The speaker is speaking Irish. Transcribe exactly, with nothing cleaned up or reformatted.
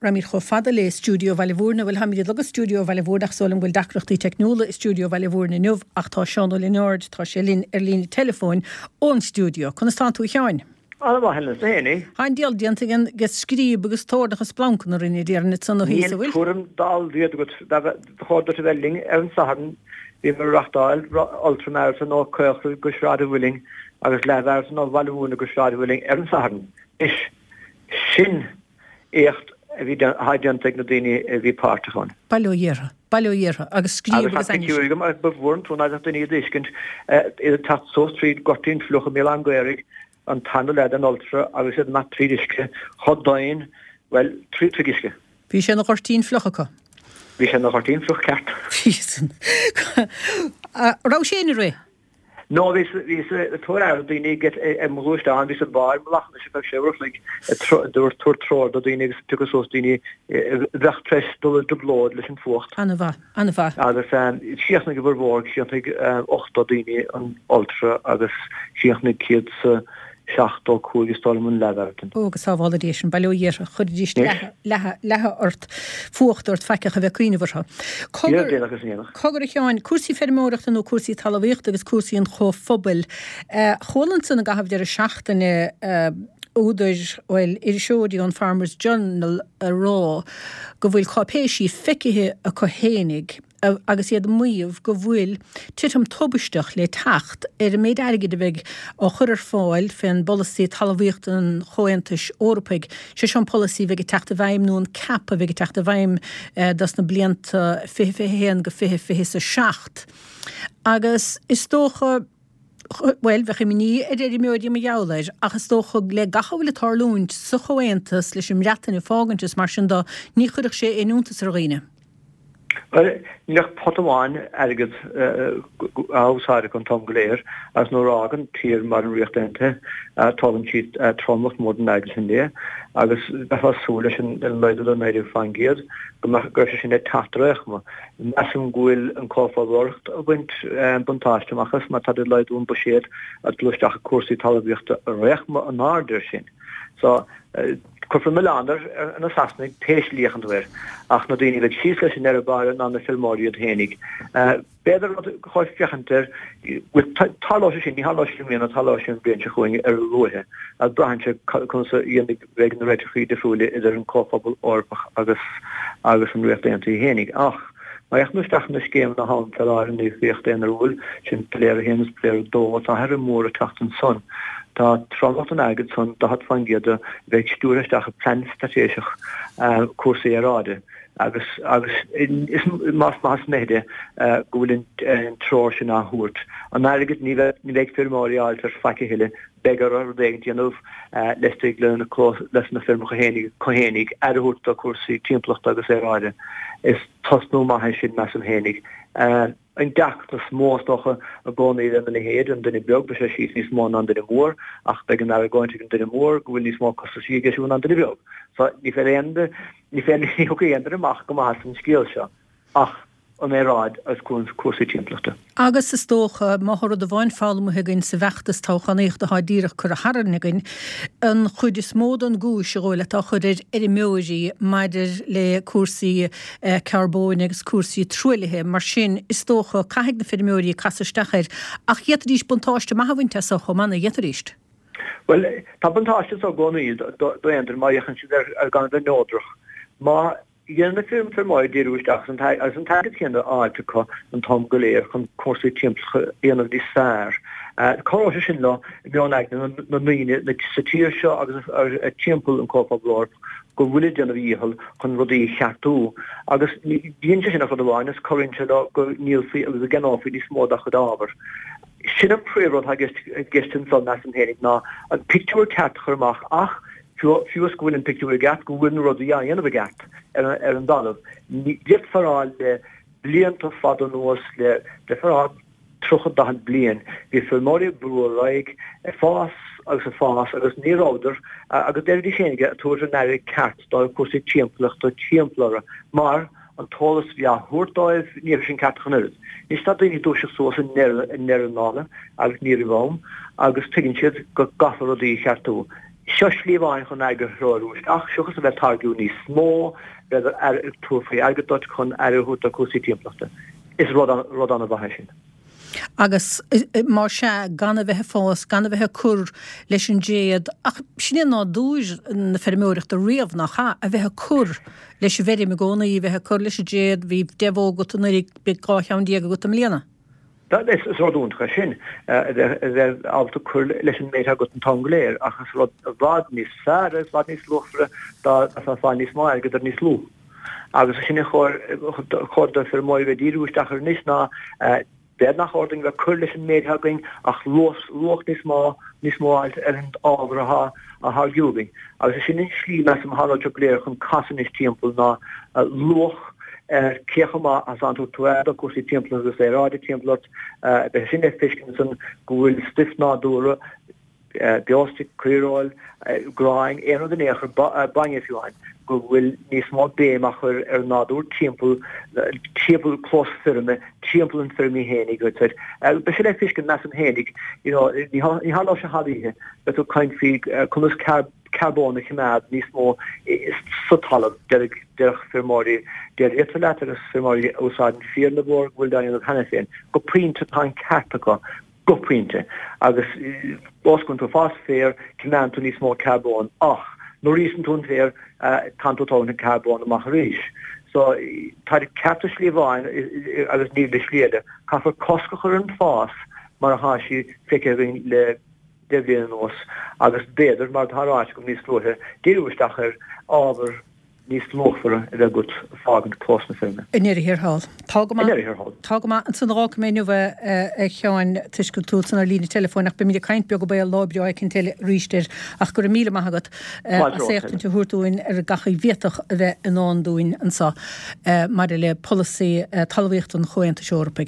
Raghaimid chomh fada le Stiúideo Bhaile Mhúirne, bhuel táimid ag lorg Stiúideo Bhaile Mhúirne ach is dóigh liom go bhfuil deacrachtaí teicniúla i Stiúideo Bhaile Mhúirne inniu ach tá Seán Ó Lionáird, tá sé linn ar líne teileafóin ón stiúideo. Conas tánn tú a Sheáin? Ana mhaith Helen, is féin Tá an diabhal déanta againn de scríob agus toirneach is splancanna a rinne déarfainn ansan ó thíos, an bhfuil? Níl tuairim dá mhéad agat. Ba chóir duit a bheith linn ar an Satharn, bhíomar ag reachtáil Ultra Marathon ó Caolchraig go Sráid an Mhuilinn agus leath-mharathon ó Bhaile Mhúirne go Sráid an Mhuilinn ar an Satharn. Anois, sin éacht a bhí atá déanta ag na daoine a bhí páirteach ann. Bail ó Dhia orthu, bail ó Dhia orthu, agus scríob agus ainnis. Agus tá pictiúir agam agus ba mhór an trua ná beadh daoine á dtuiscint, iad ag teacht suas tríd Goirtín Fliuch i mBéal Átha an Ghaorthaidh, an tarna leath den Ultra agus iad ag imeacht tríd uisce chomh domhain, bhuel, trí troigh uisce. Bhí sé ina ghoirtín fliuch acu. Bhí sé ina ghoirtín fliuch ceart. Bhí san. Raibh sé ina rith? No, bhíos ag tabhairt aire do daoine ar mo ghluaisteán, bhíos i mbarr mo lachan ar feadh sé uair a chloig ag tabhairt treoir do daoine agus ag piocadh suas daoine a bheadh tar éis dul i dtrioblóid leis an fuacht. An-mhaith, an-mhaith. Agus chríochnaigh a bhformhór, chríochnaigh ochtó daoine an Ultra agus chríochnaigh céad 's seachtó cúig is dóigh liom an leathmharathon. Ó, go sábhála Dia sinn, bail ó Dhia orthu, chuirfidís leathadh, leathadh ort, fuacht ort faic ach a bheith ag cuimhneamh orthu. Cogar, déanach is déanach. Cogar a Sheáin, cúrsaí feirmeoireachta nó cúrsaí talmhaíochta agus cúrsaí an chomhphobail. Chuala ansan i gcaitheamh deireadh seachtaine údair, bhuel, iriseoirí ón Farmers Journal a rá go bhfuil cáipéisí feicthe acu fhéinig, agus iad ag maíomh go bhfuil titim tubaisteach le teacht ar an méid airgid a bheidh á chur ar fáil fén bpolasaí talmhaíochta an Chomhaontais Eorpaigh, sé seo an polasaí a bheidh ag teacht i bhfeidhm nó an cap a bheidh ag teacht i bhfeidhm dos na blianta fiche fiche a haon go fiche fiche is a seacht. Agus is dócha, bhuel, bheadh imní ar fheirmeoirí mar gheall air, ach is dócha le gach a bhfuil ag tarlúint sa Chomhaontas leis an mBreatain ag fágaint is mar sin do, ní chuirfeadh sé aon iontas ar dhaoine. Bhuel, níl ach pota amháin airgid á úsáid acu an t-am go léir agus nuair a fhágann tír mar an Ríocht Aontaithe, tógann siad tromlach mór den airgead sin léi agus bheifeá ag súil leis an laghdú de naoi déag faoin gcéad go mbeadh, go raibh sé sin ag teacht ar aon chuma. Measaim go bhfuil an Comhphobal Eorpach ag baint buntáiste amach as mar táid ag laghdú an buiséad ag dul isteach i cúrsaí talmhaíochta ar aon chuma in airde air sin. So, cuirfear milleán ar na Sasanaigh pé slí a fhéachann tú air, ach na daoine a bheidh síos leis i ndeireadh báire ná na feirmeoirí iad fhéinig. B'fhéidir rud ba chóir féachaint air, bhuel, tarlóidh sé sin, ní tharlóidh sé i mbliana, tarlóidh sé an bhliain seo chugainn ar a luaithe, ach braitheann sé conas a dhéanfaidh, bheidh na réiteachaí difriúla idir an Comhphobal Eorpach agus agus an Ríocht Aontaithe fhéinig. Ach má fhéachann tú isteach ar na scéimeanna atá ann fé láthair in íocaíocht aonair, sin piléar a haon agus piléar a dó, tá athrú mór ag teacht ansan. Tá tromlach den airgead san, daichead faoin gcéad de, a bheidh stiúrtha isteach i bplean straitéiseach cúrsaí aeráide agus agus is más maith is mithide go bhfuil an treoir sin á thabhairt. An airgead ní bheidh ní bheidh feirmeoirí á fháilt ar faic a thuilleadh, beidh orthu rud éigin a dhéanamh laistigh lena leis na feirmeacha fhéinig acu fhéinig aire a thabhairt do cúrsaí timpeallachta agus aeráide. Is tosnú maith é sin measaim fhéinig. An deacracht is mó, is dócha, i gcónaí lena leithéid, an duine beag, beidh sé síos níos mó ná an duine mór, ach beidh an argóint ag an duine mór go bhfuil níos mó costaisí aige siúd ná an duine beag. So, ní féidir aon, ní féidir, ní thiocfaidh aon duine amach go maith as an scéal seo ach an aeráid agus cúrsaí timpeallachta. Agus is dócha, má tá rud amháin foghlamtha againn sa bhfeachtas toghchánaíochta atá díreach curtha tharainn againn, an chuid is mó den gcúis a dhóigh leat á chur ar fheirmeoirí maidir le cúrsaí carbóin agus cúrsaí truaillithe. Mar sin, is dócha, caithfidh na feirmeoirí casadh isteach air. Ach d'fhéadfaidís buntáiste maith a bhaint as chomh maith, nach bhféadfaidís? Bhuel, tá buntáiste anso i gcónaí d'aon duine má fhéachann siad ar gan a bheith neodrach. Má dhéanann na feirmeoirí díriú isteach agus an t-airgead céanna á fháilt acu an t-am go léir chun cúrsaí timpeallachta a dhéanamh níos fearr, cabhróidh sé sin leo i meon aigne na ndaoine sa tír seo agus timpeall an Chomhphobail Eorpach go bhfuil ag déanamh a dhícheall chun rudaí a cheartú agus ní dhéanann sé sin ach rud amháin is cabhraíonn sé leo go ndíolfaí agus go gceannófaí níos mó dá chuid ábhar. Sin an príomhrud atá i gceist anso, measaim féinig, ná an pictiúr ceart a chur amach ach fiú is go bhfuil an pictiúr i gceart, go bhfuil na rudaí á dhéanamh i gceart ar an dtalamh. D'fhéadfá a rá le blianta fada anuas, le d'fhéadfá a rá tríocha, daichead bliain, bhí feirmeoirí ag brú ar aghaidh, ag fás agus ag fás agus ní rabhadar, agus deiridís féinig, ag tabhairt an aire ceart do chúrsaí timpeallachta timpeall orthu mar an t-eolas a bhí á thabhairt dóibh, ní raibh sin ceart ach an oiread. Anois tá daoine ag dúiseacht suas i ndeireadh, i ndeireadh na dála agus ní roimh am agus tuigeann siad go gcaithfear rudaí a cheartú. Seo slí amháin chun airgead a threorú isteach, seachas a bheith ag táirgiú níos mó, b'fhéidir ag tabhairt faoi airgead duit chun aire a thabhairt do chúrsaí timpeallachta. Is rud an-mhaith é sin. Agus más ea, gan a bheith ag fás, gan a bheith ag cur leis an dtéad, ach sin é nádúr na feirmeoireachta riamh, nach ea? A bheith ag cur leis an bhfeirm i gcónaí, a bheith ag cur leis an dtéad, bhí deich bhó agat anuraidh, beidh dhá cheann déag agat i mbliana. Is rud iontach é sin, a bheith ábalta cur leis an méid atá agat an t-am go léir, ach is rud i bhfad níos fearr agus i bhfad níos luachmhaire dá mbeifeá ag fáil níos mó airgid ar níos lú. Agus sin ar chóir do feirmeoirí a bheith ag díriú isteach air anois ná b'fhéidir nach chóir dúinn a bheith ag cur leis an méid atá againn ach luach níos mó níos mó a fháilt ar an ábhar atá á tháirgiú againn. Agus sin an slí, measaim, atá an rud seo go léir chun casadh anois timpeall ná luach ar cé chomh maith is a thugann tú aire do chúrsaí timpeallachta agus aeráide timpeall ort. Beidh sin le feiscint ansan go bhfuil stuif nádúrtha, beostoic, caoireoil, gráin, aon rud in aon chor, bainne fiú amháin, go bhfuil níos mó béim á chur ar an nádúr timpeall, timpeall clós feirme, timpeall an feirm í fhéinig. Beidh sé le feiscint, measaim fhéinig, you know, ní tharlóidh sé thar oíche, beidh tú ag caint faoi conas carbón a choimeád níos mó sa talamh, déarfadh feirmeoirí déiríochta leat agus feirmeoirí a úsáideann féar na mbó go bhfuil á dhéanamh cheana féin. Go pointe tá an ceart acu, go pointe. Agus ós go bhfuil tú ag fás féir, coimeádann tú níos mó carbóin ach nuair a íosann tú an féar, tánn tú ag tógaint an carbón amach arís. So tá ceart i slí amháin agus níl i slí eile. Caithfear cosc a chur ar an fás mar atá sé feicthe againn le deich mbliana anuas agus b'fhéidir, mar atá ráite agam níos luaithe, díriú isteach ar ábhar níos luachmhaire a bheith agat ag fágaint clós na feirme. I ndeireadh thiar thall. Tá go maith. I ndeireadh thiar thall. Tá go maith. Ansan fágfaidh mé inniu é, a Sheáin, toisc go bhfuil tú ansan ar líne teileafóin ach beimid ag caint beag béal lá breá éicint eile arís air ach go raibh míle maith agat as éachtaint a thabhairt dúinn ar gach a bhféadfadh a bheith i ndán dúinn anseo maidir le polasaí talmhaíochta an Chomhaontais Eorpaigh.